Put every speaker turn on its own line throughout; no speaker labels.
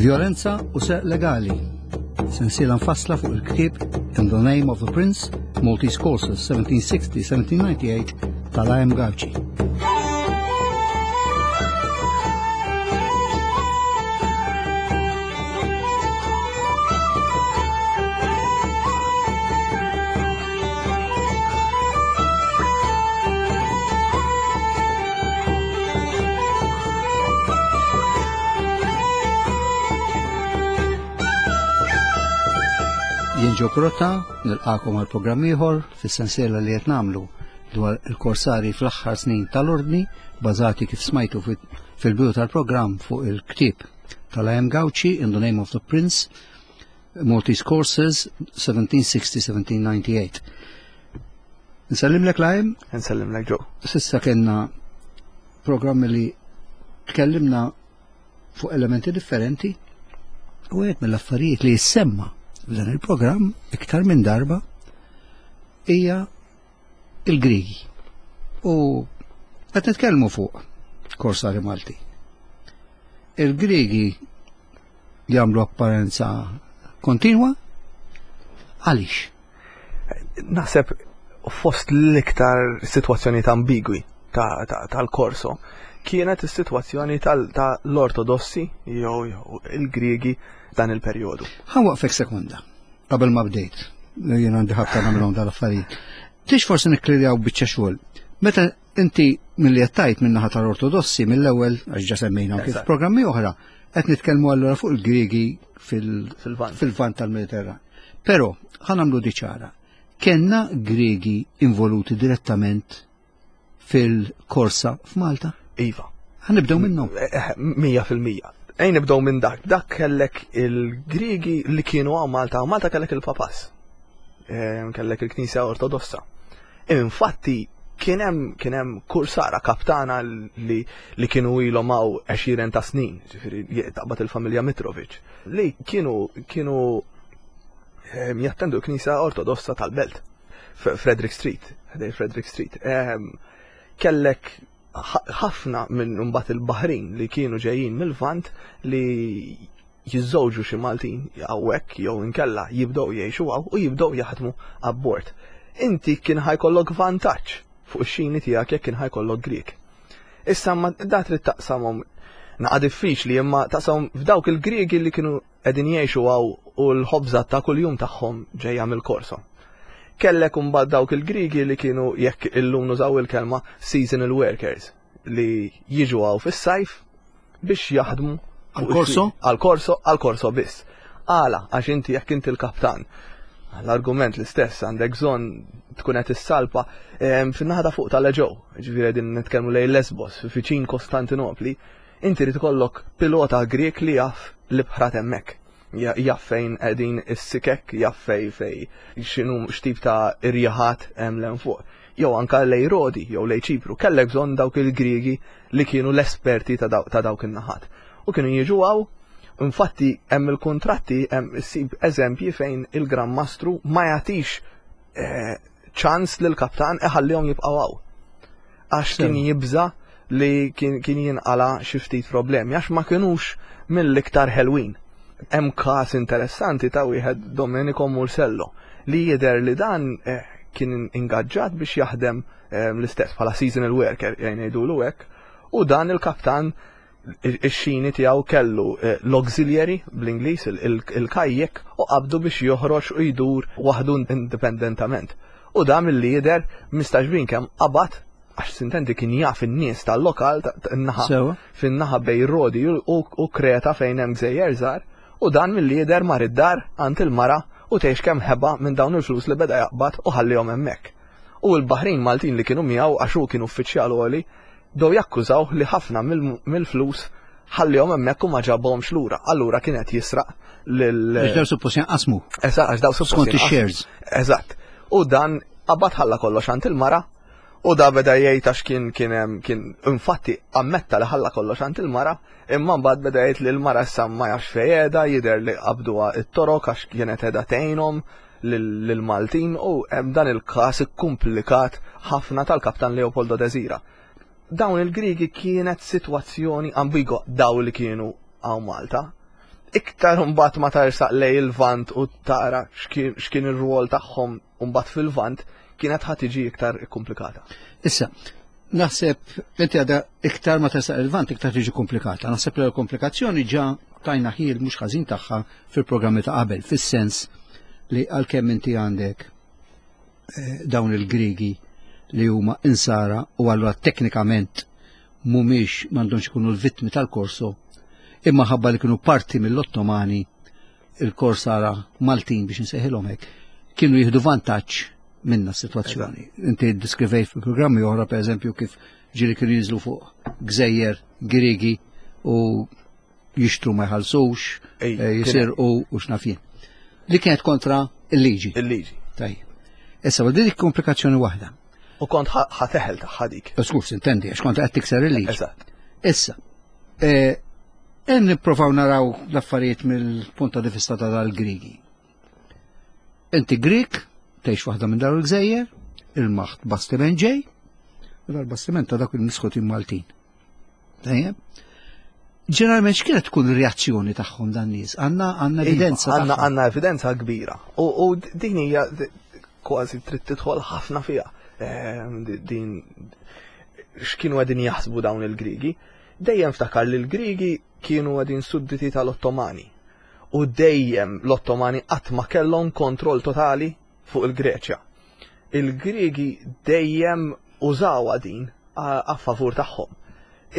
Violenza u serq legali. Sensiela mfassla fuq il-ktieb In the Name of the Prince, Maltese Courses 1760-1798 tal-IM Gauci. Jien Ġo Krotta, nilqakom għal programm ieħor fis-sensiela li qed nagħmlu dwar il-korsari fl-aħħar snin tal-ordni, bażati kif smajtu fil-bidu tal-programm fuq il-ktieb tal-IM Gauci in the Name of the Prince, Maltese Courses 1760-1798. Nsellimlek Lajm?
Nsellimlek Ġo.
Sissa kellna programmi li tkellimna fuq elementi differenti u għed mill-affarijiet li jissemma f'dan il-programm iktar minn darba hija il-Grigi. U qed nitkellmu fuq Korsari Malti. Il-Grigi jagħmlu apparenza kontinwa għaliex?
Naħseb fost l-iktar sitwazzjonijiet ambigwi tal-korso kienet is-sitwazzjoni tal-Ortodossi jew il-Griegi dan il-perjodu.
Ħa waqfek sekonda, qabel ma bdejt, jien għandi ħabta nagħmilhom dal-affarijiet. Tix forsi nikklirjaw biċċa xogħol. Meta inti milli qed tgħid min-naħa tal-Ortodossi mill-ewwel għax ġa semmejna kif programmi oħra, qed nitkellmu allura fuq il-Griegi fil-vant tal-Mediterran. Però ħa nagħmlu di ċara. Kenna Griegi involuti direttament fil-korsa f'Malta?
Iva.
Ħa nibdew minnhom.
Eh, eh, 100%. Ejn nibdew minn dak. Dak kellek il-Griegi li kienu għaw Malta, Malta kellek il-Papas. Eh, kellek il-Knisja Ortodossa. Infatti kien hemm kien hemm kursara kaptana li, li kienu ilhom hawn għexieren ta' snin, ġifieri taqbad il-familja Mitrovic, li kienu kienu ehm, jattendu l-Knisja Ortodossa tal-Belt, Frederick Street, ħdej Frederick Street. Ehm, kellek ħafna minn mbagħad il-Baħrin li kienu ġejjin mill-Lvant li jiżżewġu xi Maltin hawnhekk jew inkella jibdew jgħixu hawn u jibdew jaħdmu abbord. Inti kien ħajkollok vantaġġ fuq ix-xini tiegħek jekk kien ħajkollok Grieg. Issa ma da trid taqsamhom naqa' diffiċli imma taqsamhom f'dawk il-Griegi li kienu qegħdin jgħixu hawn u l-ħobża ta' kuljum tagħhom ġejja mill-korso. Kellek imbagħad dawk il-Griegi li kienu jekk illum nużaw il-kelma seasonal workers li jiġu hawn fis-sajf biex jaħdmu
għal-korso?
Għal-korso, għal-korso biss. Għala, għax inti jekk inti l-kaptan. L-argument l-istess għandek bżonn tkun qed issalpa ehm, fin-naħa ta' fuq tal-Eġew, ġifieri qegħdin nitkellmu lejn Lesbos, viċin Kostantinopli, inti rid ikollok pilota Grek li jaf l-ibħra hemmhekk. Jaf fejn qegħdin is-sikek, jaf fej fej x'inhu x'tip ta' irjaħat hemm l fuq. Jew anka lej Rodi jew lej Ċipru, kellek bżonn dawk il-Griegi li kienu l-esperti ta' dawk in-naħat. U kienu jiġu hawn, infatti hemm il-kuntratti hemm issib eżempji fejn il-Gran Mastru ma jagħtix eh, ċans lil kaptan iħallihom jibqgħu hawn. Għax kien jibża li kien jinqala xi ftit problemi għax ma kinux mill-iktar ħelwin. Hemm każ interessanti ta' wieħed Domenico Mursello li jidher li dan eh, kien ingaġġat biex jaħdem eh, l-istess bħala seasonal worker jgħin jgħidulu hekk u dan il-kaptan ix-xini tiegħu kellu eh, l-auxiliary bl-Ingliż il-kajjek u qabdu biex joħroġ u jdur waħdu indipendentament. U dan milli jidher mistaġbin kemm qabad għax sintendi kien jaf in-nies tal-lokal naħa fin-naħa bej Rodi u Kreta fejn hemm gżejjer żgħar u dan milli jidher mar id-dar għand il-mara u tgħix kemm ħeba minn dawn il-flus li beda jaqbad u ħallihom hemmhekk. U l-Baħrin Maltin li kienu miegħu għax hu kien uffiċjal għoli bdew jakkużawh li ħafna mill-flus ħallihom hemmhekk u ma ġabhomx lura. Allura kien qed jisraq lil.
Għax daw suppost jinqasmu.
Eżatt, għax daw suppost.
Skont ix-shares.
Eżatt. U dan qabad ħalla kollox għand il-mara u da beda jgħid għax kien kien hemm kien infatti ammetta li ħalla kollox għand il-mara, imma mbagħad beda jgħid li l-mara issa ma jafx fejn qiegħda, jidher li qabduha t-torok għax kienet qiegħda tgħinhom lill-Maltin u hemm dan il-każ ikkumplikat ħafna tal-Kaptan Leopoldo Desira. Dawn il-Griegi kienet sitwazzjoni ambigwa daw li kienu hawn Malta. Iktar mbagħad ma tarsaq lej il-Lvant u tara x'kien ir-rwol tagħhom mbagħad fil-Lvant kienet ħa tiġi iktar komplikata.
Issa, naħseb inti għadha iktar ma tersaq il-Lvant iktar tiġi komplikata. Naħseb li l-komplikazzjoni ġa tajna ħil mhux ħażin tagħha fil-programmi ta' qabel, fis-sens li għalkemm inti għandek eh, dawn il-Grigi li huma insara u allura teknikament mhumiex m'għandhomx ikunu l-vittmi tal-korso, imma ħabba li kienu parti mill-Ottomani il-korsara Maltin biex nsejħilhom hekk, kienu jieħdu vantaġġ minna s-sitwazzjoni. Inti ddiskrivejt fi programmi oħra pereżempju kif ġieli kienu jinżlu fuq gżejjer Griegi u jixtru ma jħallsux, eh, jisirqu u x'naf jien. Li kienet kontra il-liġi.
Il-liġi.
Tajjeb. Issa, u dik komplikazzjoni waħda.
U kont ħateħel tagħha dik.
Skus, intendi, għax kont qed tikser il-liġi.
Eżatt.
Issa, eh, nipprovaw naraw l-affarijiet mill-punta di vista ta' dal-Grigi. Inti Grik, tgħix waħda minn dawn il-gżejjer, il-maħt bastiment ġej, u dal-bastiment ta' dak il-misħutin Maltin. Tajjeb. Ġeneralment x'kienet tkun ir-reazzjoni tagħhom dan nies? Għandna għandna
iva,
evidenza.
Għandna għandna evidenza kbira. U din hija kważi trid tidħol ħafna fiha. Ehm, din x'kienu qegħdin jaħsbu dawn il-Grigi. Dejjem ftakar li l-Grigi kienu qegħdin sudditi tal-Ottomani. U dejjem l-Ottomani qatt ma kellhom kontroll totali fuq il-Greċja. Il-Griegi dejjem użawha din a favur tagħhom.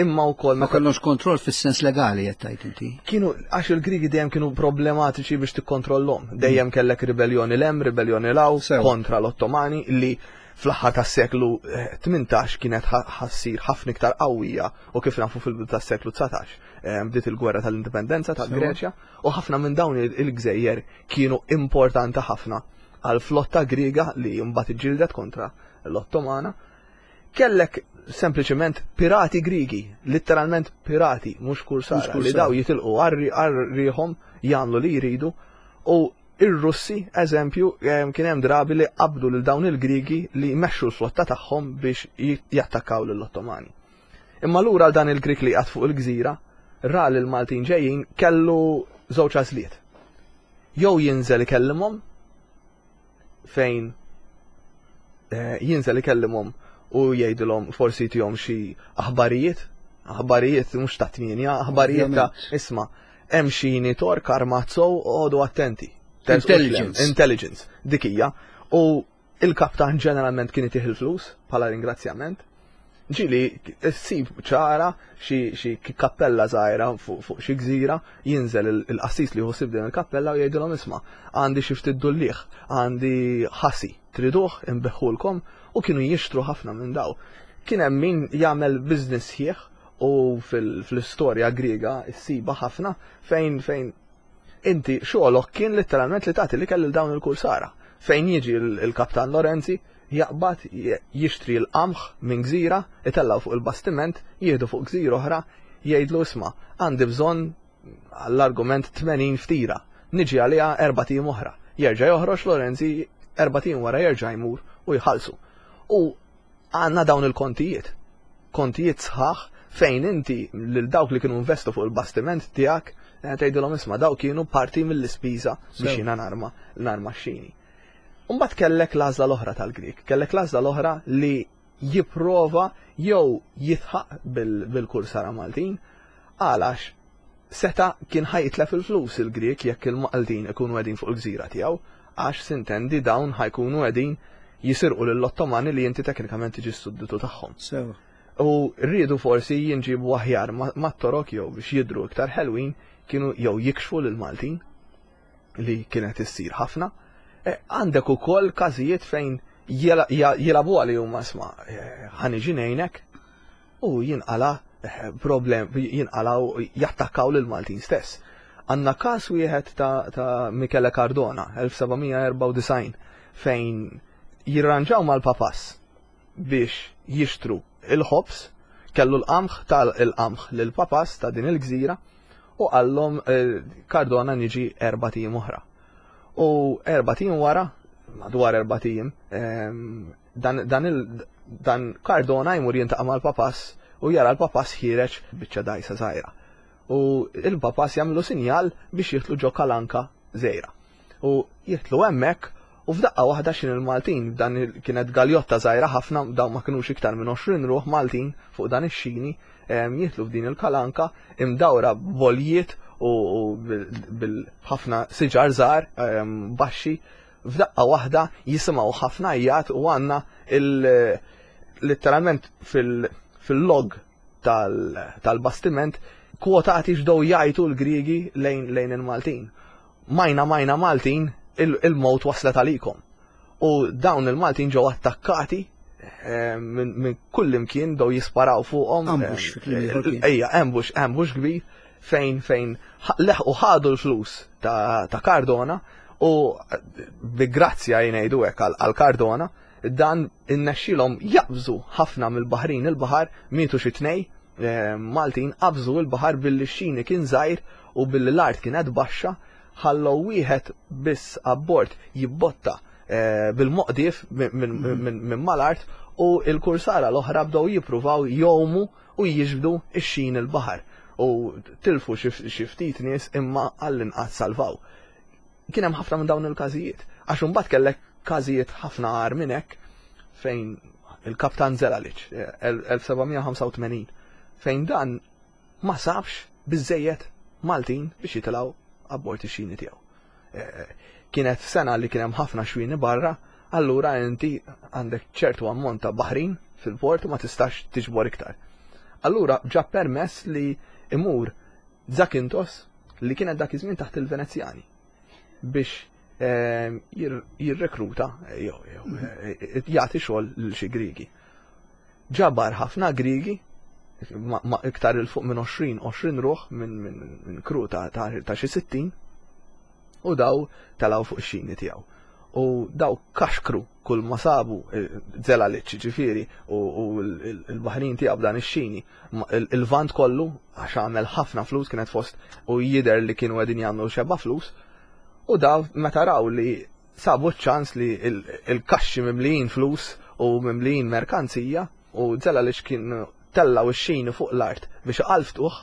Imma wkoll
ma kellhomx kontroll fis-sens legali qed tgħid inti.
Kienu għax il-Griegi dejjem kienu problematiċi biex tikkontrollhom. Dejjem mm. kellek ribelljoni l-hemm, ribelljoni l-hawn kontra l-Ottomani li fl-aħħar tas-seklu 18 eh, kienet ħassir ħafna iktar qawwija u kif nafu fil-bidu tas-seklu 19 eh, bdiet il-gwerra tal-indipendenza tal-Greċja u ħafna minn dawn il-gżejjer kienu importanti ħafna għal flotta Griega li mbagħad iġġieldet kontra l-Ottomana. Kellek sempliċement pirati Grigi, letteralment pirati, mhux kursara, li daw jitilqu għarriħom jagħmlu li jridu u ir-Russi, eżempju, kien hemm drabi li qabdu lil dawn il-Grigi li jmexxu l-flotta tagħhom biex jattakkaw lill-Ottomani. Imma lura għal dan il-Grik li qiegħed fuq il-gżira, ra lil Maltin ġejjin kellu żewġ għażliet. Jew jinżel ikellimhom fejn eh, jinżel ikellimhom u jgħidilhom forsi jtihom xi aħbarijiet, aħbarijiet mhux ta' tmienja, aħbarijiet ta' isma' hemm xi tork armat sow għodu attenti.
Intelligence.
Intelligence, dik hija. U Il-kaptan ġeneralment kien itih il-flus bħala ringrazzjament. Ġieli ssib ċara xi kappella żgħira fuq xi gżira, jinżel il-qassis li jħossib din il-kappella u jgħidilhom isma' għandi xi ftit dulliegħ, għandi ħasi, triduh inbiħħulkom u kienu jixtru ħafna minn daw. Kien hemm min jagħmel business sħiħ u fl-istorja Griega ssibha ħafna fejn fejn Inti xogħolok kien letteralment li tagħti l-ikel lil dawn il-kursara. Fejn jiġi l-Kaptan Lorenzi, jaqbad jixtri l-qamħ minn gżira, itellgħu fuq il-bastiment, jieħdu fuq gżira oħra, jgħidlu isma' għandi bżonn għall-argument 80 ftira, niġi għaliha erbat ijiem oħra. Jerġa' joħroġ Lorenzi erbat ijiem wara jerġa' jmur u jħallsu. U Għandna dawn il-kontijiet, kontijiet sħaħ fejn inti lil dawk li kienu investu fuq il-bastiment tiegħek eh, tgħidilhom isma' daw kienu parti mill-ispiża biex jiena narma narma xini. Mbagħad kellek l-għażla l-oħra tal-Grik, kellek l-għażla l-oħra li jipprova jew jitħaq bil-kursara Maltin għalax Seta' kien ħa jitlef il-flus il-Grieg jekk il-Maltin ikunu qegħdin fuq il-gżira tiegħu, għax, sintendi, dawn ħa jkunu qegħdin jisirqu lill-Ottomani li inti teknikament tiġi s-sudditu tagħhom.
Sewa.
U riedu forsi jinġiebu aħjar mat-Torok jew biex jidhru iktar ħelwin kienu jew jikxfu lill-Maltin, li kienet issir ħafna. E, għandek ukoll każijiet fejn jilagħbuha li huma isma' e, ħa niġi ngħinek u jinqala eh, problem, jinqalaw jattakkaw lil Maltin stess. Għanna każ wieħed ta', ta Michele Cardona, 1794, fejn jirranġaw mal-papas biex jixtru il-ħobż, kellu l-qamħ tal-qamħ lil papas ta' din il-gżira u qallhom eh, Cardona niġi erba' ijiem oħra. U erba' ijiem wara, madwar erba' ijiem, ehm, dan, dan, il, dan Cardona jmur jintaqa' mal-papas u jara l-papas ħiereġ biċċa dajsa żgħira. U il-papas jagħmlu sinjal biex jidħlu ġo kalanka żgħira. U jidħlu hemmhekk u f'daqqa waħda xin il-Maltin, dan kienet galjotta żgħira ħafna, dawn ma kinux iktar minn 20 ruħ Maltin fuq dan ix-xini, jidħlu f'din il-kalanka imdawra b'boljiet u bil-ħafna siġar żgħar baxxi. F'daqqa waħda jisimgħu ħafna għajjat u għandna letteralment fil-log tal-bastiment kwotati x'dow jgħajtu l-Griegi lejn il-Maltin. Majna majna Maltin, il-mowt waslet għalikom. U dawn il-Maltin ġew attakkati eh, minn kull imkien dow jisparaw fuqhom.
Ambush fi kliem ieħor kien.
Ejja, ambush, ambush kbir fejn fejn leħqu ħadu l-flus ta' Cardona u bi grazzja jgħidu hekk għal Cardona Dan innexxilhom jaqbżu ħafna mill-baħrin il-baħar, mietu xi tnej eh, Maltin qabżu l-baħar billi x-xini kien żgħir u billi l-art kienet baxxa, ħallew wieħed biss abbord jibbotta eh, bil-moqdief minn mal-art u l-kursara l-oħra bdew jippruvaw jgħumu u jiġbdu x-xin il-baħar u tilfu xi ftit nies imma għall-inqas salvaw. Kien hemm ħafna minn dawn il-każijiet. Għax imbagħad kellek każijiet ħafna agħar minn hekk fejn il-Kaptan Zelalic, 1785, fejn dan ma sabx biżejjed Maltin biex jitilgħu abbord ix-xini tiegħu. Eh, kienet sena li kien hemm ħafna xwini barra, allura inti għandek ċertu ammont ta' baħrin fil-port u ma tistax tiġbor iktar. Allura ġab permess li imur Zakynthos li kienet dak iż-żmien taħt il-Venezjani biex ehm, jirrekruta eh, jew eh, jagħti xogħol lil xi Griegi. Ġabar ħafna Griegi ma iktar il fuq minn 20 20 ruħ minn kru ta' xi 60 u daw telgħu fuq ix-xini tiegħu. U daw kaxkru kull ma sabu eh, Zelalic ġifieri u l-baħrin tiegħu b'dan ix-xini il-vant kollu għax għamel ħafna flus kienet fost u jidher li kienu qegħdin jagħmlu xebba flus u daw meta raw li sabu ċ-ċans li il-kaxxi mimlijin flus u mimlijin merkanzija u Zelalic kien tellaw ix-xini fuq l-art biex qalftuh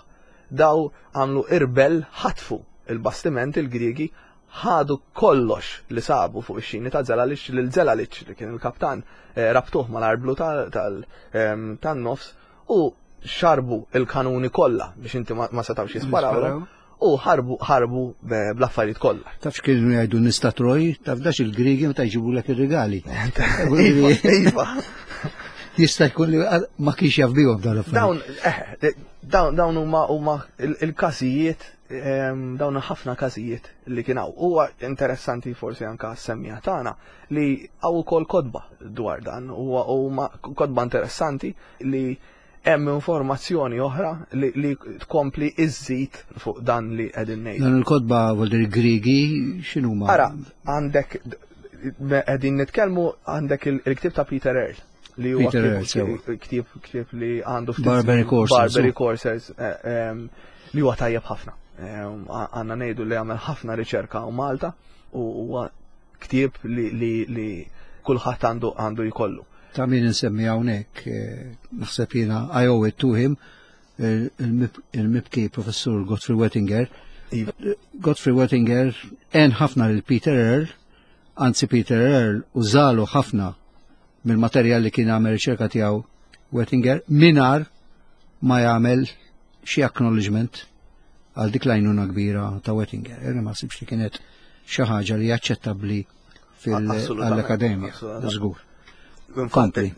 daw għamlu irbel ħatfu il-bastiment il-Griegi ħadu kollox li sabu fuq ix-xini ta' Zelalic lil Zelalic li kien il-kaptan eh, rabtuh mal-arblu tan-nofs u xarbu il-kanuni kollha biex inti ma setgħux jisparawlhom u ħarbu ħarbu bl-affarijiet kollha.
Taf x'kienu jgħidu nies ta' Troj, taf dax il-Griegi meta jġibulek ir-rigali.
Iva, iva.
Jista' jkun li ma kienx jaf bihom dawn
l-affarijiet. Dawn eh, dawn dawn huma huma il-każijiet dawn ħafna każijiet li kien hawn. Huwa interessanti forsi anka semmija tagħna li hawn ukoll kotba dwar dan huwa huma kotba interessanti li hemm informazzjoni oħra li, li tkompli iżżid fuq dan li qegħdin ngħidu.
Dan il-kotba vuol Griegi x'inhuma?
Ara, għandek qegħdin nitkellmu għandek il-ktieb ta' Peter Earl li huwa ktieb ktieb li għandu
ftit Barbary Corsairs.
Barbary Corsairs eh, li huwa tajjeb ħafna. Għandna ngħidu li għamel ħafna riċerka u Malta u huwa ktieb li, li, li kulħadd għandu għandu jkollu.
Ta' min insemmi hawnhekk eh, naħseb jiena I owe it to him eh, il-mibki professur Godfrey Wettinger. Iva. Godfrey Wettinger en ħafna lil Peter Earl, anzi Peter Earl użalu ħafna mill-materjal li kien għamel riċerka tiegħu Wettinger minar ma jagħmel xi acknowledgement għal dik l-għajnuna kbira ta' Wettinger. Jena ma sibx li kienet xi ħaġa li aċċettabbli fil-akademja. Żgur.
Kompli.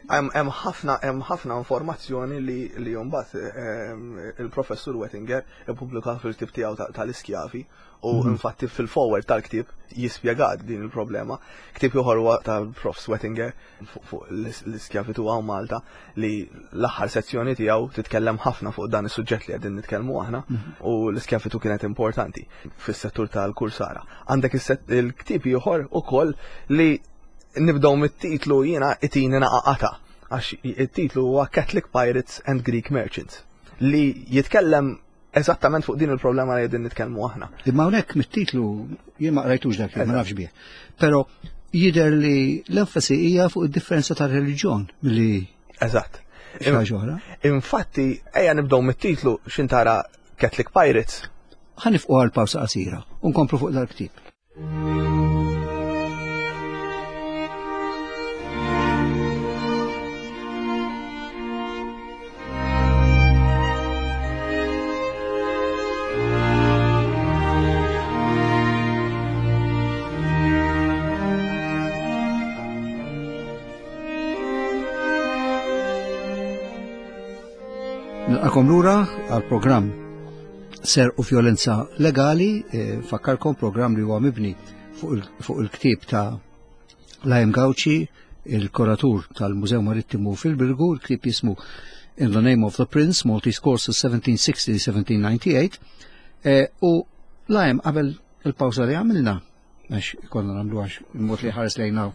Hemm ħafna hemm ħafna informazzjoni li li mbagħad ehm, il-professur Wettinger ippubblika fil-ktieb tiegħu tal-iskjavi u mhm. infatti fil-forward tal-ktieb jispjegat din il-problema. Ktieb ieħor huwa tal-Prof Wettinger fuq l-iskjavitu hawn Malta li l-aħħar sezzjoni tiegħu titkellem ħafna fuq dan is-suġġett li qegħdin nitkellmu aħna mhm. u l-iskjavitu kienet importanti fis-settur tal-kursara. Għandek il-ktieb ieħor ukoll li nibdew mit-titlu jiena itini naqaqata għax it-titlu huwa Catholic Pirates and Greek Merchants li jitkellem eżattament fuq din il-problema li qegħdin nitkellmu aħna.
Imma hawnhekk mit-titlu jien ma qrajtux dak ma nafx bih. Però jidher li l-enfasi hija fuq id-differenza tar-reliġjon li
Eżatt.
Oħra.
Infatti, ejja nibdew mit-titlu x'intara Catholic Pirates.
Ħa nifqu għal pawsa qasira u nkomplu fuq dal-ktieb. Nilqakom lura għal programm Ser u Vjolenza Legali, eh, fakkarkom programm li huwa mibni fuq il-ktieb ta' Lajem Gauci, il-kuratur tal-Mużew Marittimu fil-Birgu, il-ktieb jismu In the Name of the Prince, Maltese Courses 1760-1798, eh, u Lajem qabel il-pawza li għamilna, għax konna nagħmlu għax il-mod li ħares lejna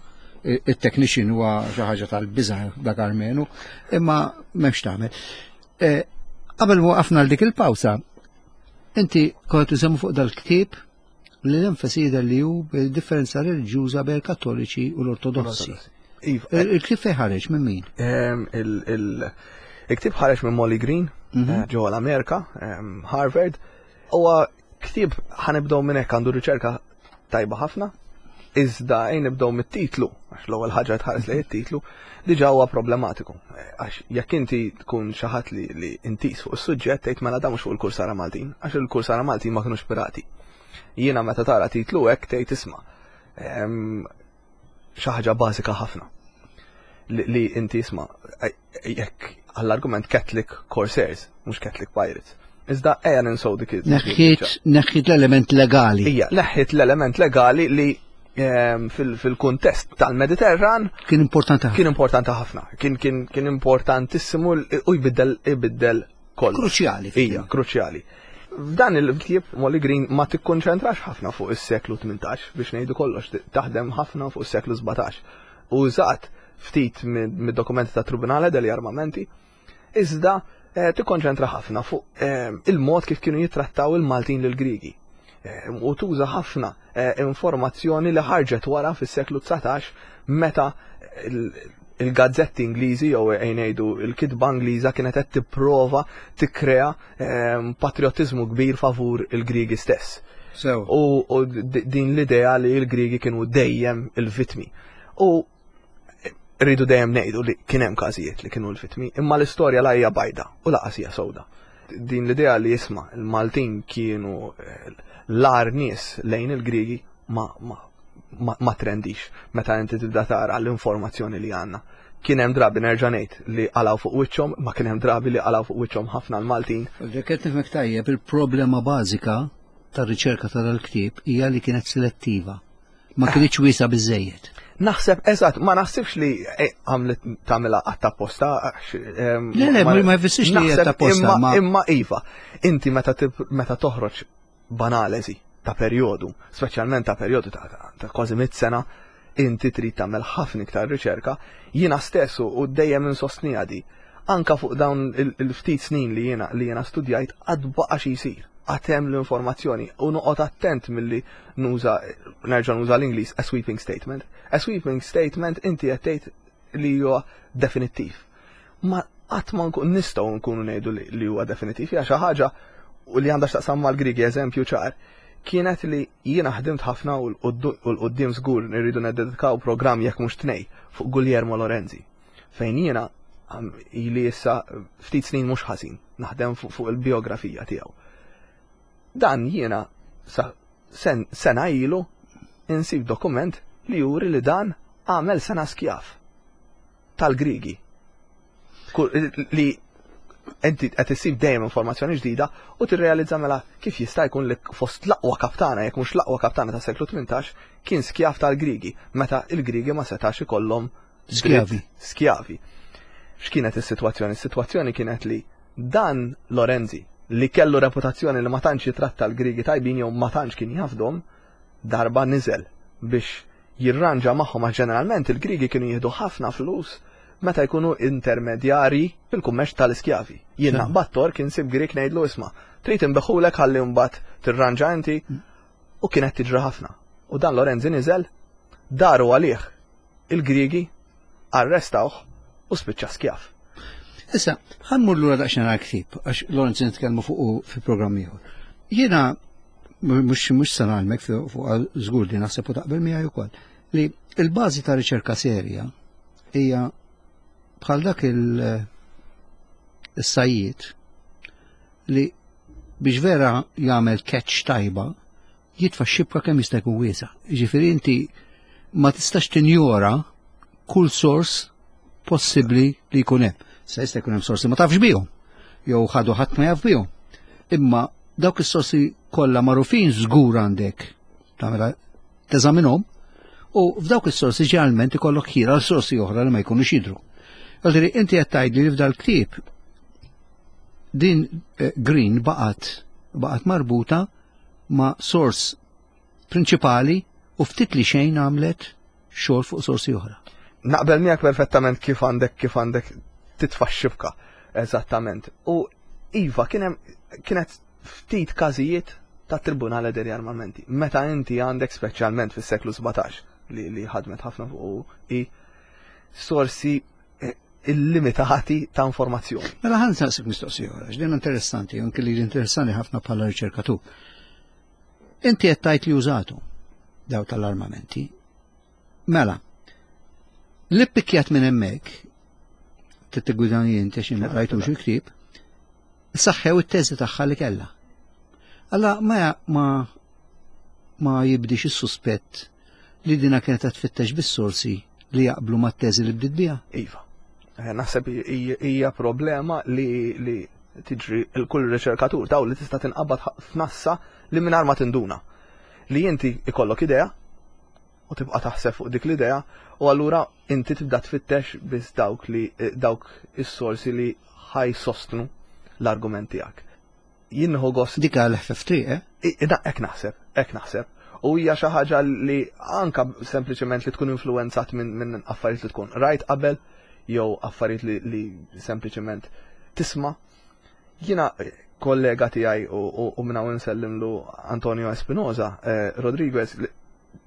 it-technician huwa xi ħaġa tal-biża' dak Armenu, imma m'hemmx tagħmel. E, qabel waqafna l dik il-pawsa, inti kont tisemmu fuq dal-ktieb li l-enfasi jidher li hu bil-differenza reliġjuża bejn il-Kattoliċi u l-Ortodossi. Iva. Il-ktieb fejn ħareġ minn min?
Il-ktieb ħareġ minn Molly Green mhm. eh, ġewwa l-Amerika, Harvard. Huwa Ktieb ħa nibdew minn hekk għandu riċerka tajba ħafna, iżda ejn nibdew mit-titlu, għax l-ewwel ħaġa tħares lejn it-titlu, diġà huwa problematiku. Għax jekk inti tkun xi ħadd li, li intis fuq is-suġġett tgħid mela dan mhux fuq il-kursara Maltin, għax il-kursara Maltin ma kinux pirati. Jiena meta tara titlu hekk tgħid isma' xi ħaġa bażika ħafna li inti isma' jekk għall-argument Catholic Corsairs, mhux Catholic Pirates. Iżda ejja ninsow dik
Neħħiet neħħiet l-element legali.
Ija, neħħiet l-element legali li ehm, fil-kuntest tal-Mediterran
kien importanti
ħafna. Kien importanti ħafna. Kien kien kien importantissimu u jbiddel ibiddel kollox.
Kruċjali.
Ija, kruċjali. F'dan il-ktieb Molly Green ma tikkonċentrax ħafna fuq is-seklu 18 biex ngħidu kollox, taħdem ħafna fuq is-seklu 17. Użat ftit mid-dokumenti ta' Tribunale degli Armamenti, iżda eh, tikkonċentra ħafna fuq eh, il-mod kif kienu jittrattaw il-Maltin lil Grigi. Eh, u tuża ħafna informazzjoni li ħarġet wara fis-seklu 19 meta il-gazzetti Ingliżi jew ngħidu il-kitba Ingliża kienet qed tipprova tikkrea ehm, patriottiżmu kbir favur il-Griegi stess. U din l-idea li l-Griegi kienu dejjem il-vitmi. U rridu dejjem ngħidu li kien hemm każijiet li kienu l-vitmi, imma l-istorja la hija bajda u laqas hija sewda. Din l-idea li jisma' il-Maltin kienu eh, l-ar nies lejn il-Griegi ma, ma ma, ma trendix meta inti tibda tara l-informazzjoni li għandna. Kien hemm drabi nerġa' ngħid li qalgħu fuq wiċċhom, ma kien hemm drabi li qalgħu fuq wiċċhom ħafna l-Maltin.
Jekk qed nifhmek tajjeb, il-problema bażika tar-riċerka ta' dal-ktieb hija li kienet selettiva. Ma kinitx wiesa biżejjed.
Naħseb, eżatt, ma naħsibx li eh, għamlet tagħmilha għatta posta.
Le, le, ma jfissirx li għatta posta.
Imma iva, inti meta toħroġ b'analisi ta' perjodu, speċjalment ta' perjodu ta', ta, ta kważi mit sena, inti trid tagħmel ħafna iktar riċerka, jiena stess u dejjem insostniha di. Anka fuq dawn il-ftit snin li jiena li jiena studjajt għad baqa' xi jsir, għad hemm l-informazzjoni u noqgħod attent milli nuża nerġa' nuża l-Ingliż a sweeping statement. A sweeping statement inti qed tgħid li huwa definittiv. Ma qatt ma nkun nistgħu nkunu ngħidu li huwa definitiv hija xi ħaġa u li għandha x'taqsam mal-Griegi eżempju ċar kienet li jiena ħdimt ħafna u l-qudiem żgur nirridu neddedikaw programm jekk mhux tnej fuq Guglielmo Lorenzi fejn jiena ili issa ftit snin mhux ħażin naħdem fuq il-biografija tiegħu. Dan jiena sa sena ilu insib dokument li juri li dan għamel sena skjaf. tal-Griegi. Li inti qed issib dejjem informazzjoni ġdida u tirrealizza mela kif jista' jkun li fost l-aqwa kaptana jekk mhux l-aqwa kaptana tas seklu 18 kien skjav tal-Griegi meta il-Griegi ma setax ikollhom
skjavi.
Skjavi. X'kienet is-sitwazzjoni? Is-sitwazzjoni kienet li dan Lorenzi li kellu reputazzjoni li ma tantx jitratta l-Griegi tajbin jew ma tantx kien jafdhom, darba niżel biex jirranġa magħhom għax ġeneralment il-Griegi kienu jieħdu ħafna flus meta jkunu intermedjarji fil-kummerċ tal-iskjavi. Jien naqbad Tork insib Grieg ngħidlu isma' trid inbeħulek ħalli mbagħad tirranġa inti u kienet tiġri ħafna. U dan Lorenzi niżel, daru għalih il-Griegi, arrestawh u spiċċa skjav.
Issa, ħa mmur lura daqsxejn għall-ktieb, għax Lawrence nitkellmu fuq fi programm ieħor. Jiena mhux se ngħallmek fuq żgur li naħseb u taqbel miegħi wkoll li l-bażi ta' riċerka serja hija bħal dak il-sajjied li biex vera jagħmel catch tajba jitfa' xibka kemm jista' jkun wiesa'. Jiġifieri inti ma tistax tinjora kull sors possibbli li jkun hemm. Se jista' jkun hemm sorsi ma tafx bihom, jew ħadu ħadd ma jaf bihom. Imma dawk is-sorsi kollha magħrufin żgur għandek tagħmilha teżaminhom u f'dawk is-sorsi ġeneralment ikollok ħira għal sorsi oħra li ma jkunux jidhru. Għalli inti qed tgħidli li f'dal-ktieb din eh, Green baqgħet baqgħet marbuta ma' sors prinċipali u ftit li xejn għamlet xogħol fuq sorsi oħra.
Naqbel miegħek perfettament kif għandek kif għandek titfa' xibka. Eżattament. U iva kien hemm kienet ftit każijiet ta' Tribunale degli Armamenti. Meta inti għandek speċjalment fis-seklu 17 li, li ħadmet ħafna fuq i sorsi eh, illimitati ta' informazzjoni.
Mela ħan saqsik mistoqsija oħra, x'din interessanti, anke li interessanti ħafna bħala riċerkatur. Inti qed tgħid li użatu daw tal-armamenti. Mela, li ppikjat minn hemmhekk, tittigwidani inti xi ma qrajtux il-ktieb, saħħew it-teżi tagħha li kellha. Alla ma ma ma jibdix is-suspett li dina kienet qed tfittex bis-sorsi li jaqblu mat-teżi li bdiet biha?
Iva. Eh, naħseb hija problema li, li tiġri l-kull riċerkatur daw li tista' tinqabad f'nassa li mingħajr ma tinduna. Li inti ikollok idea u tibqa' taħseb fuq dik l-idea u allura inti tibda tfittex biss dawk li eh, dawk is-sorsi li ħajsostnu l-argument tiegħek. Jien nieħu gost.
Dik għal ħfef triq,
eh? Hekk naħseb, hekk naħseb. U hija xi ħaġa li anka sempliċement li tkun influenzat minn min affarijiet li tkun rajt qabel jew affarijiet li, li sempliċement tisma'. Jiena kollega tiegħi u, u, u minn hawn insellimlu Antonio Espinosa eh, Rodriguez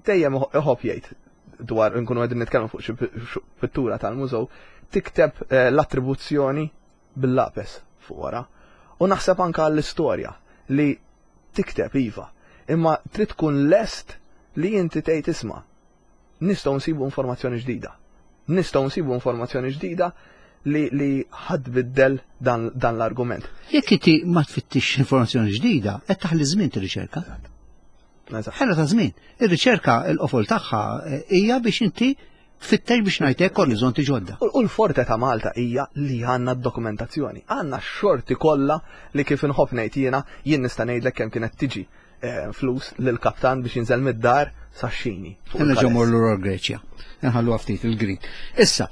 dejjem iħobb jgħid dwar nkunu qegħdin nitkellmu fuq xi pittura tal-mużew tikteb eh, l-attribuzzjoni bil-lapes fuq wara. U naħseb anka għall-istorja li tikteb iva, imma trid tkun lest li inti tgħid isma' nistgħu nsibu informazzjoni ġdida. Nistgħu nsibu informazzjoni ġdida li, li ħadd biddel dan, dan l-argument.
Jekk inti ma tfittix informazzjoni ġdida, qed taħli żmien tirriċerka. Ħela ta' żmien. Ir-riċerka l-qofol tagħha eh, hija biex inti tfittex biex ngħidlek orizzonti ġodda.
U l-forte ta' Malta hija li għandna d-dokumentazzjoni. Għandna x-xorti kollha li kif inħobb ngħid jiena, jien nista' ngħidlek kemm kienet tiġi eh, flus lill-kaptan biex jinżel mid-dar sax-xini.
Nerġgħu morru lura l-Greċja. Nħallu ftit il-Grik. Issa,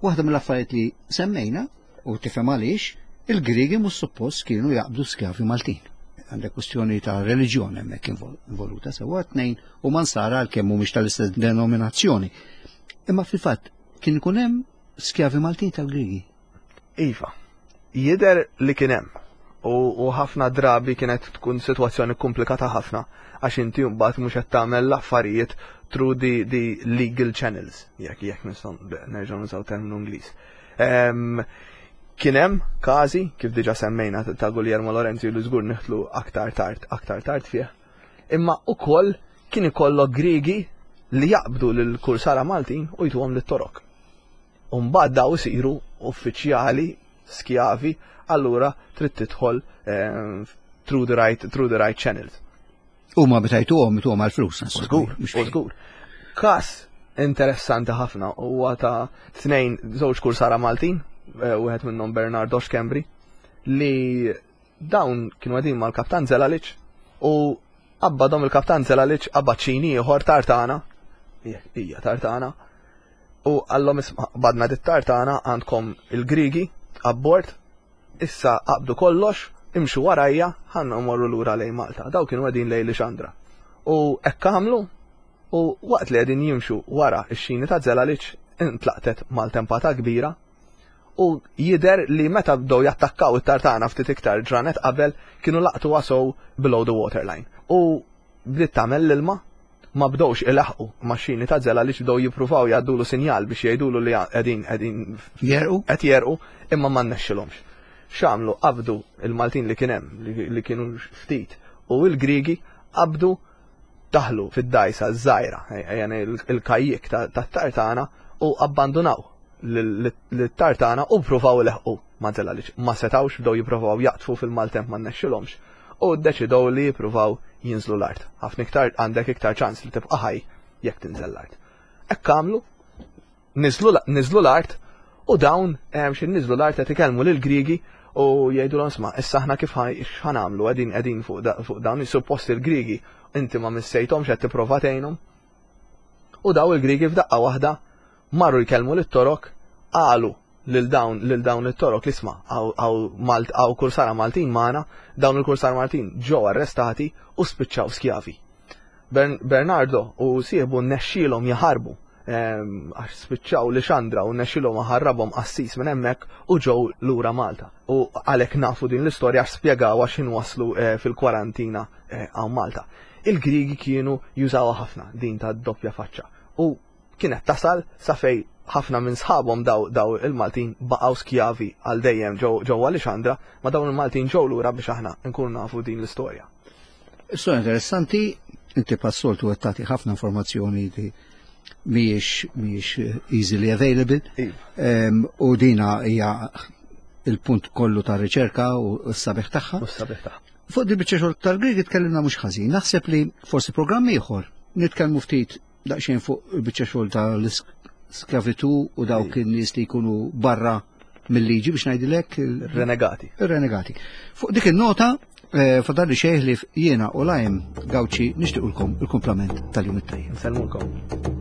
waħda mill-affarijiet li semmejna u tifhem għaliex, il-Griegi mhux suppost kienu jaqbdu skjavi Maltin. Għandek kwestjoni ta' reliġjon hemmhekk involuta sewwa tnejn u mansara għalkemm mhumiex tal-istess denominazzjoni. Imma fil-fatt kien ikun hemm skjavi Maltin tal-Griegi.
Iva, jidher li kien hemm u ħafna drabi kienet tkun sitwazzjoni komplikata ħafna għax inti mbagħad mhux qed tagħmel l-affarijiet through the, the legal channels, jekk jekk nistgħu nerġgħu nużaw terminu Ingliż. Kien hemm każi kif diġà semmejna ta' Guglielmo Lorenzi li żgur niħtlu aktar tard, aktar tard fih. Imma ukoll kien ikollok Griegi li jaqbdu lil kursara Maltin u jtuhom lit-Torok. U mbagħad daw isiru uffiċjali skjavi, allura trid tidħol eh, through the right through the right channels.
U ma bitajtuhom ituhom għal-flus.
Żgur, żgur. Kas interessanti ħafna huwa ta' tnejn żewġ kursara Maltin, eh, wieħed minnhom Bernardo Schembri, li dawn kienu għedin mal-kaptan Zelalic u qabbadhom il-kaptan Zelalic qabad ċini ieħor tartana, hija tartana, u għallhom isma' badna dit tartana għandkom il-Grigi abbord, issa qabdu kollox, imxu warajja, ħanna morru lura lejn Malta. Daw kienu qegħdin lejn Lixandra. U hekk għamlu u waqt li qegħdin jimxu wara x-xini ta' Zelalic intlaqtet maltempata kbira u jidher li meta bdew jattakkaw it-tartana ftit iktar ġranet qabel kienu laqtuha sew below the waterline. U bdiet tagħmel l-ilma Ma bdewx ilaħqu max-xini ta' Zela għaliex bdew jippruvaw jgħaddulu sinjal biex jgħidulu li qegħdin qegħdin
jerqu
qed jerqu imma ma rnexxilhomx. X'għamlu qabdu il-Maltin li kien hemm li kienu ftit u l-Griegi qabdu daħlu fid-dgħajsa ż-żgħira, il-kajjik tat-tartana u abbandunaw lit-tartana u ppruvaw ileħqu ma' Zela għaliex ma setgħux bdew jippruvaw jaqdfu fil-maltemp ma rnexxilhomx u ddeċidew li jippruvaw jinżlu l-art. Ħafna iktar għandek iktar ċans li tibqa' ħaj jekk tinżel l-art. Hekk għamlu, niżlu l-art u dawn xi niżlu l-art qed ikellmu lill-Griegi u jgħidulhom isma' issa aħna kif x'ħa nagħmlu qegħdin qegħdin fuq dawn suppost il-Griegi inti ma missejthomx qed tipprova tgħinhom. U daw il-Griegi f'daqqa waħda marru jkellmu lit-Torok qalu lil dawn lil dawn it-Torok li isma' hawn kursara Maltin magħna, dawn il-kursara Maltin ġew arrestati u spiċċaw skjavi. Bernardo u sieħbu nnexxielhom jaħarbu ehm, għax spiċċaw li xandra u nnexxielhom ħarrabhom qassis minn hemmhekk u ġew lura Malta. U għalhekk nafu din l-istorja għax spjegaw għax waslu eh, fil-kwarantina eh, hawn Malta. Il-Griegi kienu jużawha ħafna din ta' doppja faċċa u kienet tasal sa fej ħafna minn sħabhom daw, daw il-Maltin baqgħu skjavi għal dejjem ġewwa Lixandra, ma dawn il-Maltin ġew lura biex aħna nkunu nafu din l-istorja.
Istorja interessanti, inti passoltu qed tagħti ħafna informazzjoni li mhijiex mhijiex easily available. Iva. U dina hija il-punt kollu ta' riċerka u s-sabiħ tagħha.
U s-sabiħ tagħha.
Fuq di biċċa xogħol tal-Grieg tkellimna mhux ħażin. Naħseb li forsi programm ieħor nitkellmu ftit daqsxejn fuq il-biċċa xogħol tal-iskavitu u dawk in-nies li jkunu barra mill-liġi biex ngħidilek.
Renegati.
Renegati. Fuq dik in-nota eh, fadalli xejn li jiena u lajm Gawċi nixtiequlkom il-kumplament tal-jum it-tajjeb.
Nsellmulkom.